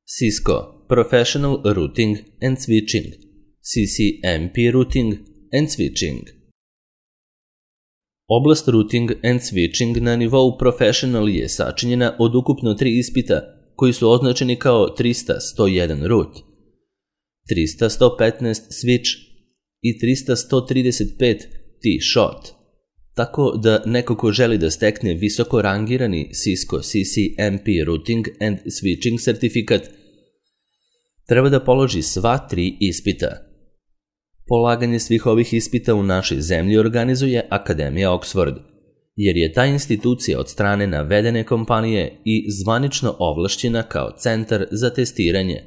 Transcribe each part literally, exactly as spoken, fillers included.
Cisco Professional Routing and Switching, C C M P Routing and Switching. Oblast Routing and Switching na nivou Professional je sačinjena od ukupno tri ispita koji su označeni kao trista sto jedan Root, trista sto petnaest Switch i trista sto trideset pet T-Shot, tako da neko ko želi da stekne visoko rangirani Cisco C C M P Routing and Switching sertifikat treba da položi sva tri ispita. Polaganje svih ovih ispita u našoj zemlji organizuje Akademija Oxford, jer je ta institucija od strane navedene kompanije i zvanično ovlašćena kao centar za testiranje.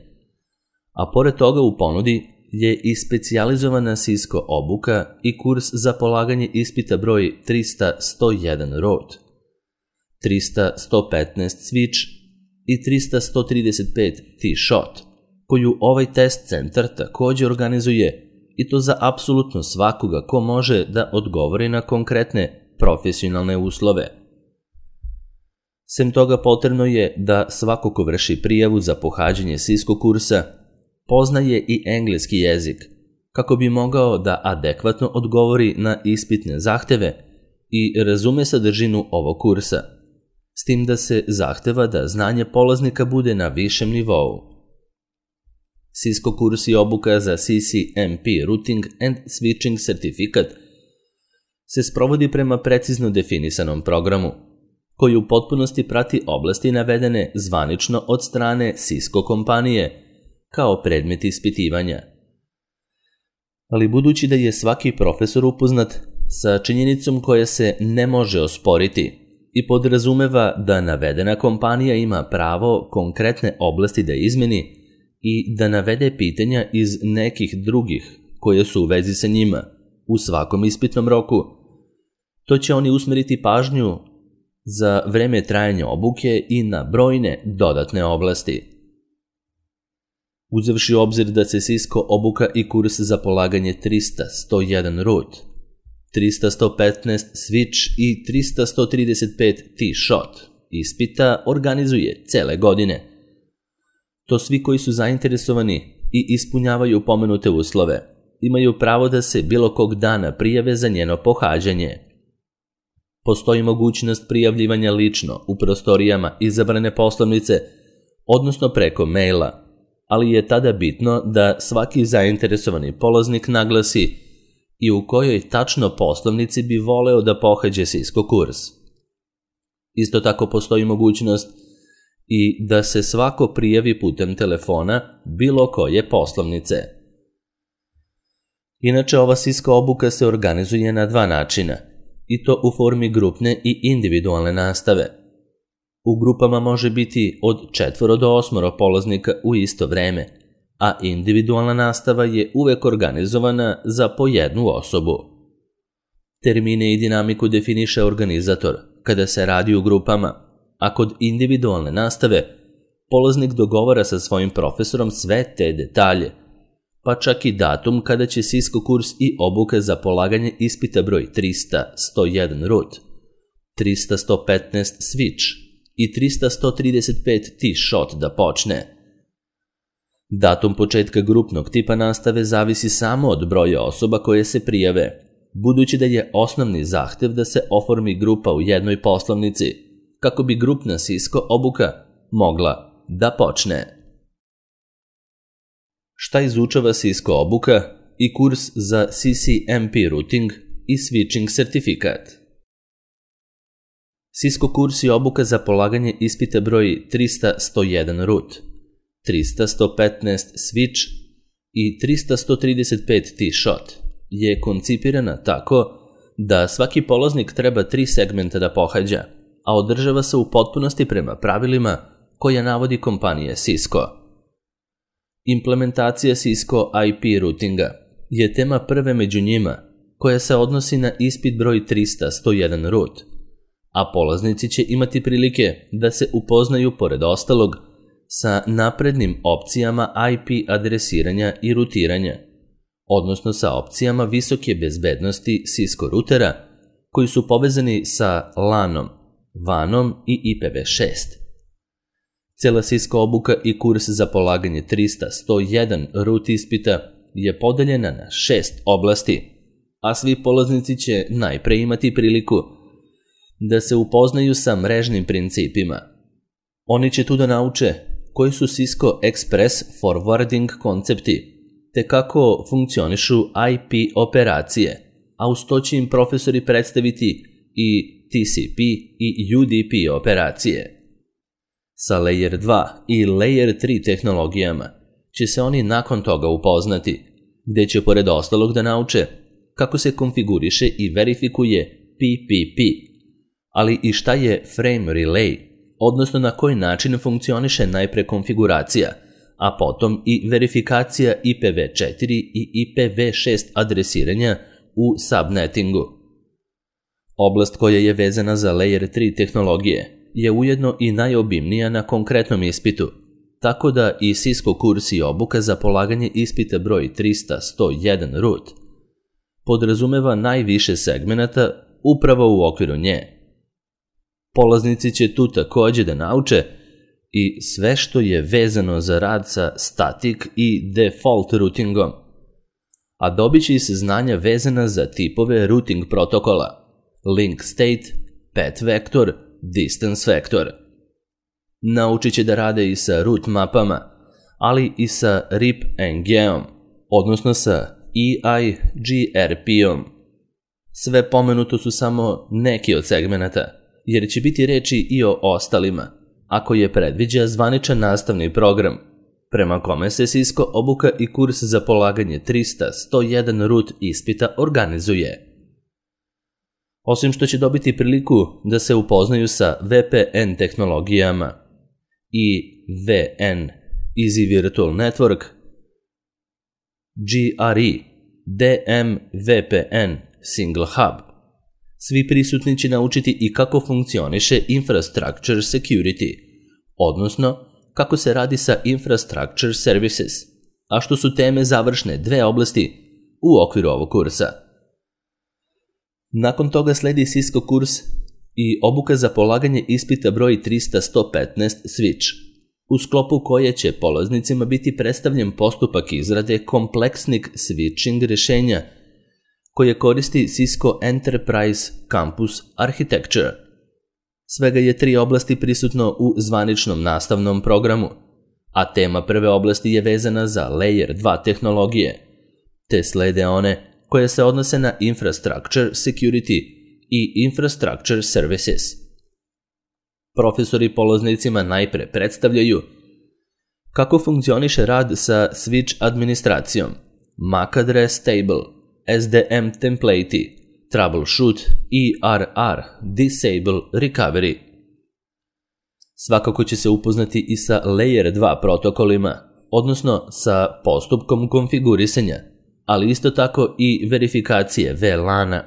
A pored toga u ponudi je i specijalizovana Cisco obuka i kurs za polaganje ispita broj trista sto jedan Root, trista sto petnaest Switch i trista sto trideset pet T-Shot, koju ovaj test centar takođe organizuje, i to za apsolutno svakoga ko može da odgovori na konkretne profesionalne uslove. Sem toga potrebno je da svako ko vrši prijavu za pohađanje Cisco kursa poznaje i engleski jezik, kako bi mogao da adekvatno odgovori na ispitne zahteve i razume sadržinu ovog kursa, s tim da se zahteva da znanje polaznika bude na višem nivou. Cisco kurs i obuka za C C M P Routing and Switching sertifikat se sprovodi prema precizno definisanom programu, koji u potpunosti prati oblasti navedene zvanično od strane Cisco kompanije kao predmet ispitivanja. Ali budući da je svaki profesor upoznat sa činjenicom koja se ne može osporiti i podrazumeva da navedena kompanija ima pravo konkretne oblasti da izmeni i da navede pitanja iz nekih drugih koje su u vezi sa njima u svakom ispitnom roku, to će oni usmeriti pažnju za vreme trajanja obuke i na brojne dodatne oblasti. Uzevši u obzir da se Cisco obuka i kurs za polaganje trista sto jedan Root, trista sto petnaest Switch i trista sto trideset pet T-Shot ispita organizuje cele godine, to svi koji su zainteresovani i ispunjavaju pomenute uslove imaju pravo da se bilo kog dana prijave za njeno pohađanje. Postoji mogućnost prijavljivanja lično u prostorijama izabrane poslovnice, odnosno preko maila, ali je tada bitno da svaki zainteresovani polaznik naglasi i u kojoj tačno poslovnici bi voleo da pohađe Cisco kurs. Isto tako postoji mogućnost i da se svako prijavi putem telefona bilo koje poslovnice. Inače, ova Cisco obuka se organizuje na dva načina, i to u formi grupne i individualne nastave. U grupama može biti od četvoro do osmoro polaznika u isto vreme, a individualna nastava je uvek organizovana za po jednu osobu. Termine i dinamiku definiše organizator kada se radi u grupama, a kod individualne nastave polaznik dogovara sa svojim profesorom sve te detalje, pa čak i datum kada će Cisco kurs i obuka za polaganje ispita broj trista sto jedan Root, trista sto petnaest Switch i trista sto trideset pet T-Shot da počne. Datum početka grupnog tipa nastave zavisi samo od broja osoba koje se prijave, budući da je osnovni zahtev da se oformi grupa u jednoj poslovnici, kako bi grupna Cisco obuka mogla da počne. Šta izučava Cisco obuka i kurs za C C M P Routing i Switching sertifikat? Cisco kurs i obuka za polaganje ispita broj trista sto jedan Root, trista sto petnaest Switch i trista sto trideset pet T-Shot je koncipirana tako da svaki polaznik treba tri segmenta da pohađa, a održava se u potpunosti prema pravilima koja navodi kompanija Cisco. Implementacija Cisco I P routinga je tema prve među njima, koja se odnosi na ispit broj trista sto jedan Root, a polaznici će imati prilike da se upoznaju pored ostalog sa naprednim opcijama I P adresiranja i rutiranja, odnosno sa opcijama visoke bezbednosti Cisco rutera koji su povezani sa LAN-om, vanom i I P v šest. Cela Cisco obuka i kurs za polaganje trista sto jedan root ispita je podeljena na šest oblasti, a svi polaznici će najpre imati priliku da se upoznaju sa mrežnim principima. Oni će tu da nauče koji su Cisco Express Forwarding koncepti, te kako funkcionišu I P operacije, a uz to će im profesori predstaviti i T C P i U D P operacije. Sa Layer dva i Layer tri tehnologijama će se oni nakon toga upoznati, gde će pored ostalog da nauče kako se konfiguriše i verifikuje P P P, ali i šta je Frame Relay, odnosno na koji način funkcioniše najpre konfiguracija, a potom i verifikacija I P v četiri i I P v šest adresiranja u subnettingu. Oblast koja je vezana za Layer tri tehnologije je ujedno i najobimnija na konkretnom ispitu, tako da i Cisco kurs i obuka za polaganje ispita broj trista sto jedan root podrazumeva najviše segmenata upravo u okviru nje. Polaznici će tu takođe da nauče i sve što je vezano za rad sa static i default routingom, a dobit će i saznanja vezana za tipove routing protokola, link state, path vector, distance vector. Naučit će da rade i sa root mapama, ali i sa R I P N G-om, odnosno sa E I G R P-om. Sve pomenuto su samo neki od segmenata, jer će biti reči i o ostalima, ako je predviđa zvaničan nastavni program, prema kome se Cisco obuka i kurs za polaganje trista sto jedan root ispita organizuje. Osim što će dobiti priliku da se upoznaju sa V P N tehnologijama i V N Easy Virtual Network, G R E, D M V P N Single Hub, svi prisutni će naučiti i kako funkcioniše Infrastructure Security, odnosno kako se radi sa Infrastructure Services, a što su teme završne dve oblasti u okviru ovog kursa. Nakon toga sledi Cisco kurs i obuka za polaganje ispita broj trista sto petnaest Switch, u sklopu koje će polaznicima biti predstavljen postupak izrade kompleksnih switching rešenja koje koristi Cisco Enterprise Campus Architecture. Svega je tri oblasti prisutno u zvaničnom nastavnom programu, a tema prve oblasti je vezana za Layer dva tehnologije, te slede one koje se odnose na Infrastructure Security i Infrastructure Services. Profesori polaznicima najpre predstavljaju kako funkcioniše rad sa switch administracijom, M A C address table, S D M template, troubleshoot, E R R, disable, recovery. Svakako će se upoznati i sa Layer dva protokolima, odnosno sa postupkom konfigurisanja, ali isto tako i verifikacije V LAN-a.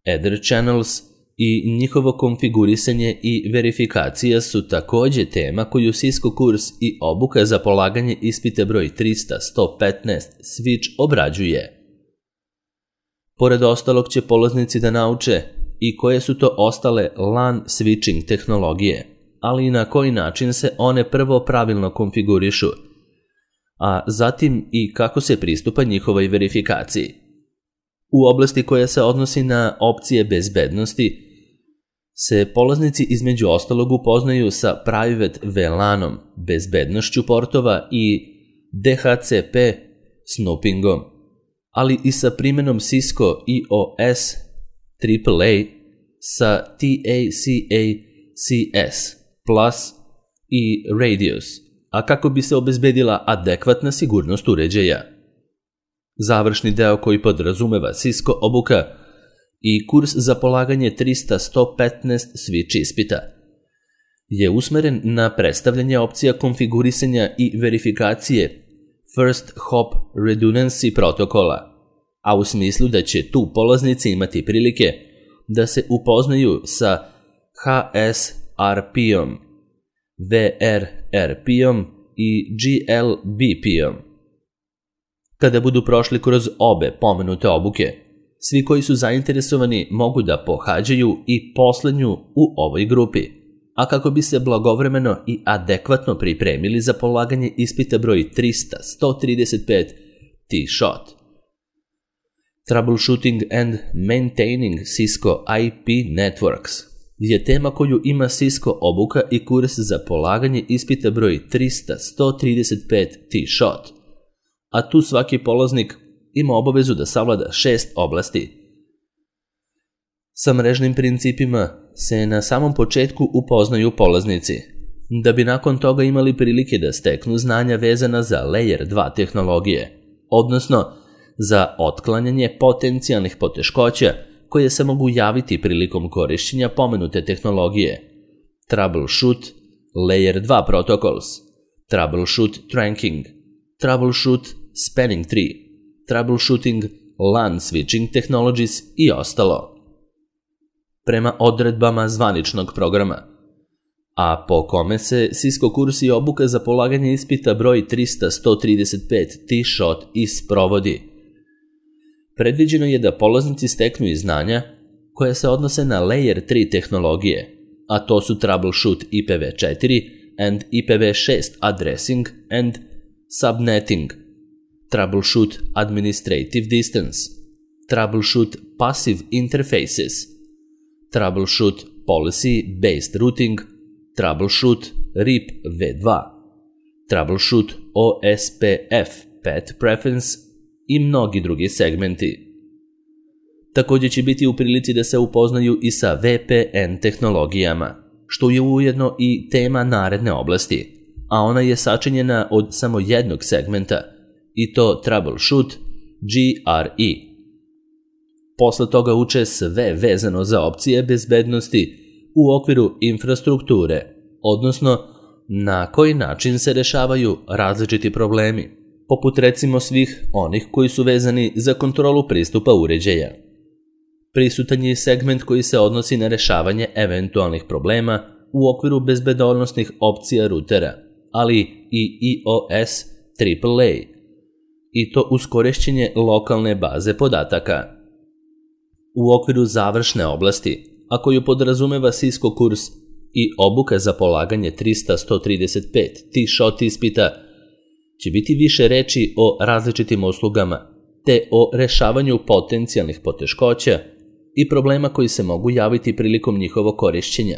Ether channels i njihovo konfigurisanje i verifikacija su takođe tema koju Cisco kurs i obuka za polaganje ispita broj trista sto petnaest Switch obrađuje. Pored ostalog će polaznici da nauče i koje su to ostale LAN switching tehnologije, ali i na koji način se one prvo pravilno konfigurišu, a zatim i kako se pristupa njihovoj verifikaciji. U oblasti koja se odnosi na opcije bezbednosti se polaznici između ostalog upoznaju sa Private V LAN-om, bezbednošću portova i D H C P snoopingom, ali i sa primenom Cisco E O S triple A sa T A C A C S Plus i Radius, a kako bi se obezbedila adekvatna sigurnost uređaja. Završni deo koji podrazumeva Cisco obuka i kurs za polaganje trista sto petnaest switch ispita je usmeren na predstavljanje opcija konfigurisanja i verifikacije First Hop Redundancy protokola, a u smislu da će tu polaznici imati prilike da se upoznaju sa H S R P-om, V R R P-om i G L B P-om. Kada budu prošli kroz obe pomenute obuke, svi koji su zainteresovani mogu da pohađaju i poslednju u ovoj grupi, a kako bi se blagovremeno i adekvatno pripremili za polaganje ispita broj trista sto trideset pet T-SHOT. Troubleshooting and Maintaining Cisco I P Networks je tema koju ima Cisco obuka i kurs za polaganje ispita broj trista sto trideset pet T-SHOT, a tu svaki polaznik ima obavezu da savlada šest oblasti. Sa mrežnim principima se na samom početku upoznaju polaznici, da bi nakon toga imali prilike da steknu znanja vezana za Layer dva tehnologije, odnosno za otklanjanje potencijalnih poteškoća koje se mogu javiti prilikom korišćenja pomenute tehnologije, Troubleshoot Layer dva Protocols, Troubleshoot Trunking, Troubleshoot Spanning Tree, Troubleshooting LAN Switching Technologies i ostalo. Prema odredbama zvaničnog programa, a po kome se Cisco kurs i obuka za polaganje ispita broj trista sto trideset pet T-SHOT i sprovodi. Predviđeno je da polaznici steknu i znanja koja se odnose na Layer tri tehnologije, a to su Troubleshoot I P v četiri and I P v šest Addressing and Subnetting, Troubleshoot Administrative Distance, Troubleshoot Passive Interfaces, Troubleshoot Policy Based Routing, Troubleshoot R I P v dva, Troubleshoot O S P F Path Preference i mnogi drugi segmenti. Također će biti u prilici da se upoznaju i sa V P N tehnologijama, što je ujedno i tema naredne oblasti, a ona je sačinjena od samo jednog segmenta, i to Troubleshoot G R E. Posle toga uče sve vezano za opcije bezbednosti u okviru infrastrukture, odnosno na koji način se rešavaju različiti problemi, poput recimo svih onih koji su vezani za kontrolu pristupa uređaja. Prisutan je segment koji se odnosi na rešavanje eventualnih problema u okviru bezbednosnih opcija rutera, ali i I O S triple A, i to uz korišćenje lokalne baze podataka. U okviru završne oblasti, a koju podrazumeva Cisco kurs i obuka za polaganje trista sto trideset pet T-SHOT ispita, će biti više reči o različitim uslugama, te o rešavanju potencijalnih poteškoća i problema koji se mogu javiti prilikom njihovog korišćenja.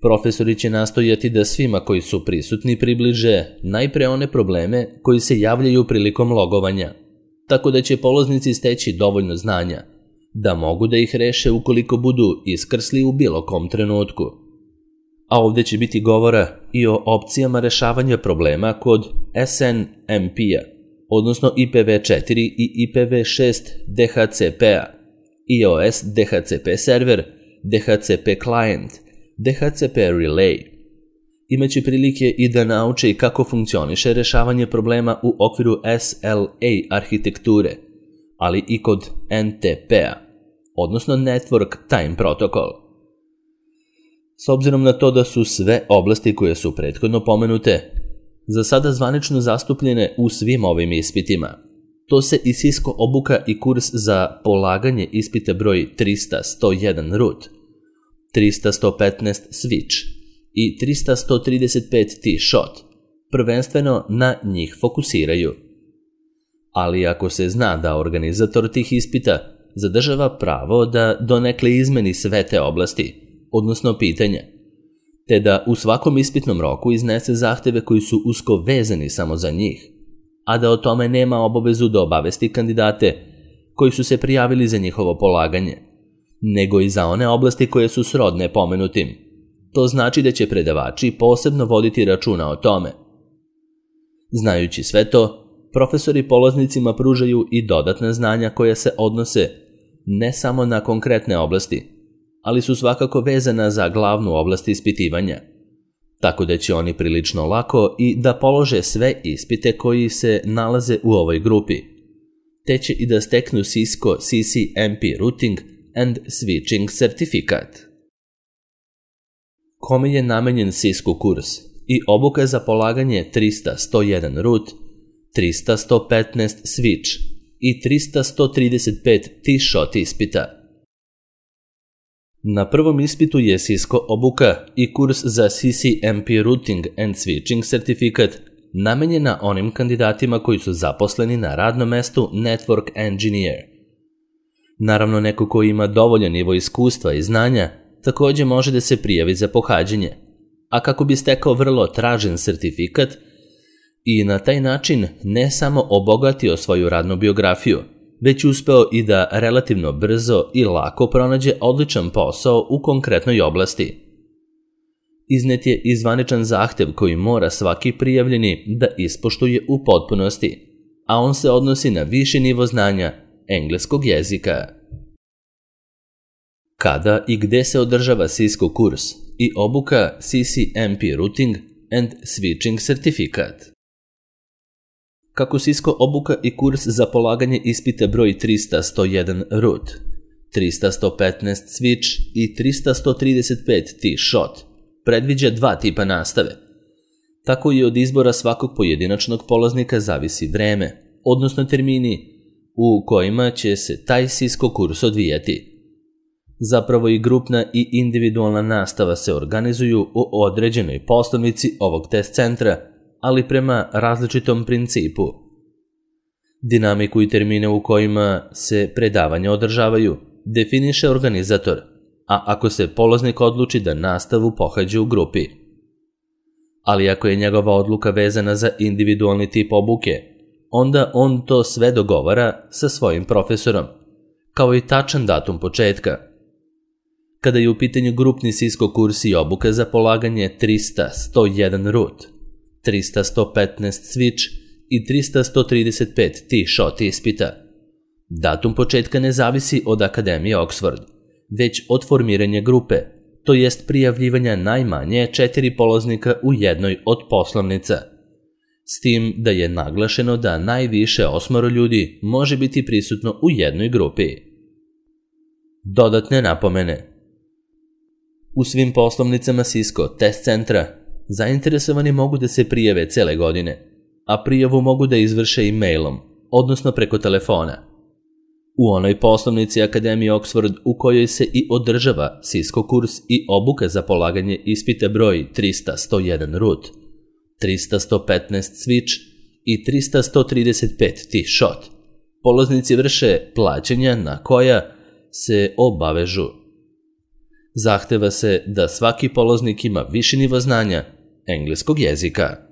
Profesori će nastojati da svima koji su prisutni približe najpre one probleme koji se javljaju prilikom logovanja, tako da će polaznici steći dovoljno znanja da mogu da ih reše ukoliko budu iskrsli u bilo kom trenutku. A ovdje će biti govora i o opcijama rešavanja problema kod S N M P-a, odnosno I P v četiri i I P v šest D H C P-a, I O S D H C P server, D H C P client, D H C P relay. Imaće prilike i da nauče kako funkcioniše rešavanje problema u okviru S L A arhitekture, ali i kod N T P-a, odnosno Network Time Protocol. S obzirom na to da su sve oblasti koje su prethodno pomenute za sada zvanično zastupljene u svim ovim ispitima, to se i Cisco obuka i kurs za polaganje ispita broj trista sto jedan root, trista sto petnaest switch i trista sto trideset pet T-SHOT prvenstveno na njih fokusiraju. Ali ako se zna da organizator tih ispita zadržava pravo da donekle izmeni sve te oblasti, odnosno pitanja, te da u svakom ispitnom roku iznese zahteve koji su usko vezani samo za njih, a da o tome nema obavezu da obavesti kandidate koji su se prijavili za njihovo polaganje, nego i za one oblasti koje su srodne pomenutim. To znači da će predavači posebno voditi računa o tome. Znajući sve to, profesori polaznicima pružaju i dodatna znanja koja se odnose ne samo na konkretne oblasti, ali su svakako vezana za glavnu oblast ispitivanja, tako da će oni prilično lako i da polože sve ispite koji se nalaze u ovoj grupi, te će i da steknu Cisco C C M P Routing and Switching certifikat. Kome je namenjen Cisco kurs i obuka za polaganje trista sto jedan root, trista sto petnaest switch i trista sto trideset pet T-SHOT ispita? Na prvom ispitu je Cisco obuka i kurs za C C M P Routing and Switching certifikat namenjena onim kandidatima koji su zaposleni na radnom mestu Network Engineer. Naravno, neko ko ima dovoljan nivo iskustva i znanja također može da se prijavi za pohađanje, a kako bi stekao vrlo tražen sertifikat i na taj način ne samo obogatio svoju radnu biografiju, već uspeo i da relativno brzo i lako pronađe odličan posao u konkretnoj oblasti. Iznet je i zvaničan zahtev koji mora svaki prijavljeni da ispoštuje u potpunosti, a on se odnosi na viši nivo znanja engleskog jezika. Kada i gde se održava Cisco kurs i obuka C C M P Routing and Switching certifikat? Kako Cisco obuka i kurs za polaganje ispita broj trista sto jedan root, trista sto petnaest switch i trista sto trideset pet T-shot predviđa dva tipa nastave. Tako i od izbora svakog pojedinačnog polaznika zavisi vreme, odnosno termini u kojima će se taj Cisco kurs odvijati. Zapravo i grupna i individualna nastava se organizuju u određenoj poslovnici ovog test centra, ali prema različitom principu. Dinamiku i termine u kojima se predavanja održavaju definiše organizator, a ako se polaznik odluči da nastavu pohađa u grupi. Ali ako je njegova odluka vezana za individualni tip obuke, onda on to sve dogovara sa svojim profesorom, kao i tačan datum početka. Kada je u pitanju grupni Cisco kurs i obuka za polaganje trista sto jedan root, trista sto petnaest switch i trista sto trideset pet T-shot ispita, datum početka ne zavisi od Akademije Oxford, već od formiranja grupe, to jest prijavljivanja najmanje četiri polaznika u jednoj od poslovnica. S tim da je naglašeno da najviše osmoro ljudi može biti prisutno u jednoj grupi. Dodatne napomene. U svim poslovnicama Cisco test centra zainteresovani mogu da se prijave cele godine, a prijavu mogu da izvrše i mailom, odnosno preko telefona. U onoj poslovnici Akademije Oxford u kojoj se i održava Cisco kurs i obuka za polaganje ispita broj trista sto jedan root, trista sto petnaest switch i trista sto trideset pet T-shot, polaznici vrše plaćanja na koja se obavežu. Zahteva se da svaki polaznik ima viši nivo znanja engleskog jezika.